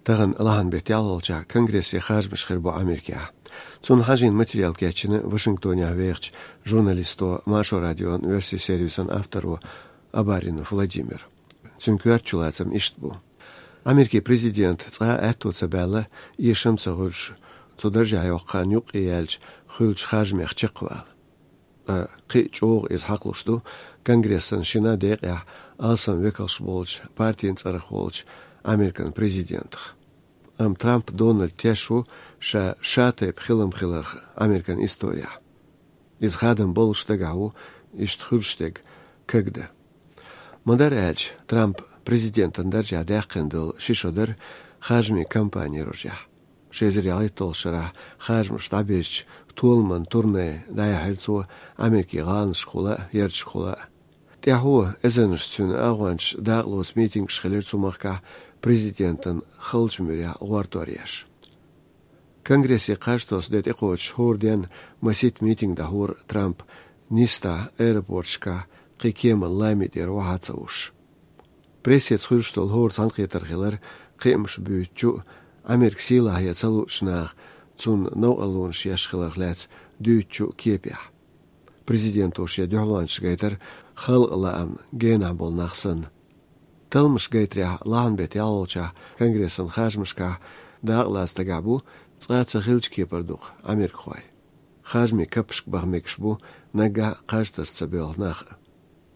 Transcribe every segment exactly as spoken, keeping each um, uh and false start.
Тахан лахьан бетта ялхолчахь конгрессе харжамаш хир бу Америкехь. Цунна хьажийна материал кечйина Вашингтонехь вехачу журналисто, Маршо радион оьрсийн сервисан авторо Абаринов Владимир. Цуьнан коьртачу лацам иштта бу. Америкин президент цкъа а аьтто ца баьлла, эшам ца хуьлуш, цу даржехь йоккху хан юккъе яьлча хуьлучу харжамех чекхвала. Ткъа кхин а чӀогӀа иза хьакхалуш ду конгрессан шина декъехь алсам векалш болчу партийн цӀарах волчу Американ президентах. Амма Трамп Дональд теш ву ша шатайпа хилам хиларх Американ историяхь. Иза хадам болуш дагахь ву иштта хуьлуш дерг кагда. Ма-дарра аьлча, Трамп президентан даржехь даьккхина долу ши шо дара харжамийн кампани рожехь. Ши эзар ялхитталгӀачу шарахь харжамаш дӀабирзича толаман турне дӀаяьхьира цо Америкин гӀаланашкахула а, ярташкахула а. ТӀаьхьо эзарнаш цуьнан агӀончаш дакъалоцу митингаш хилира цу махкахь президентан халчу муьрехь гӀортор еш. Конгрессе кхаж тосу де тӀекхочуш хӀора денна масийтта митинг дӀахьора Трамп Нисса аэропорташкахь кхин кеман лами тӀера охьа ца вуш. Прессеца хуьлуш долу хӀора цхьаьнакхетар хилира кхиамаш буьйцучу а, Америка сийлахь ян ца луучу наха цунна новкъарлонаш еш хиларх лаьцна дуьйцучу а кепехь. Президенто шен дуьхьалончаш гайтара халкъан лаамна генахь болу нах санна. Талламаш гайтарехь, лахьан бетта ялхолчахь конгрессан харжамашкахь дакъалаца дагахь бу цкъа а ца хиллачу кепара дукха америкахой. Харжамийн каппашка баха мегаш бу наггахь а кхаж таса ца боьлху нах а.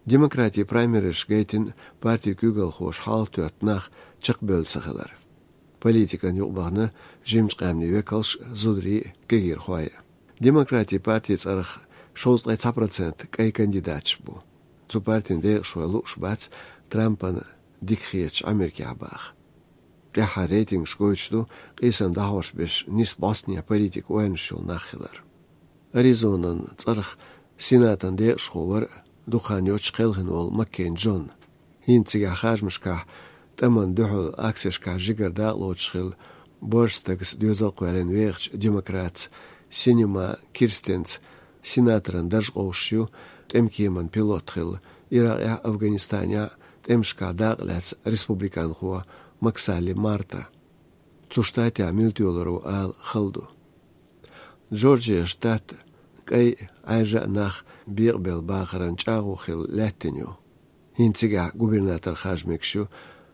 Демократийн праймеризаш гайтина партин куьйгалхоша хьалатоьтту нах чекхбевлла ца хилар. Политикана юкъабахана жимачу къаьмнийн векалш а, зударий а, кегийрхой а. Демократийн партин цӀарах шовзткъе цхьа процент кӀайн кандидаташ бу. Цу партин декъашхой лууш бац Трампана дика хеташ Америкехь баха. ТӀаьххьара рейтингаш гойтуш ду къийсам дӀахьош берш нисса бӀостанехьа политикан ойланаш йолу нах хилар. Аризонан цӀарах Сенатан декъашхо вара дукха хан йоццуш кхелхина волу Маккейн Джон. ХӀинца цигахь харжамашкахь тӀамна дуьхьал акцешкахь жигара дакъалоцуш хилла, боьрша стагца доьзал кхоьллина вехачу демократца Синема Кирстенца сенаторан дарж къовсуш ю, тӀемкеман пилот хилла, Иракъехь а, Афганистанехь а тӀемашкахь дакъа лаьцна республиканхо Максалли Марта. Цу штатехь мила тоьлур ву ала хала ду. Джорджия штат кӀайн, Ӏаьржа а нах бекъабелла бахаран чӀагӀо хилла лаьттина ю. ХӀинца цигахь губернатор харжа мегаш ю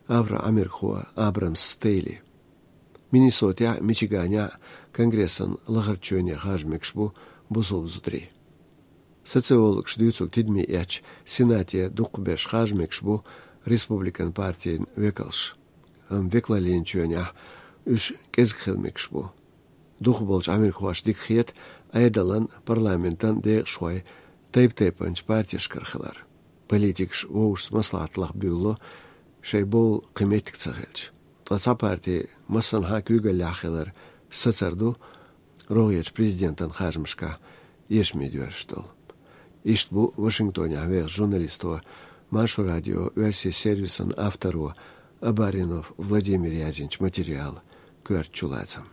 афро-америкахо Абрамс Стейли. Миннесотехь а, Мичиганехь а конгрессан лахарчу чоьне харжа мегаш бу бусалба зударий. Социологаша дуьйцург тидаме эцча, Сенате дукхахберш харжа мегаш бу республикан партин векалш. Амма векалаллин чоьнехь уьш кӀезиг хила мегаш бу. Дукхахболчу америкахошна дика хета Ӏедалан, парламентан декъашхой тайп-тайпанчу партешкара хилар. Политикаш вовшашца маслаӀат лаха буьйлало, шайн бовла кхин меттиг ца хилча. Ткъа цхьа парти массанхьа куьйгаллехь хилар сацар ду рогӀерчу президентан харжамашкахь эшаме доьрзуш долу. Иштта бу Вашингтонехь вехачу журналисто, Маршо радион оьрсийн сервисан авторо Абаринов Владимира яздинчу материалан коьртачу лацам.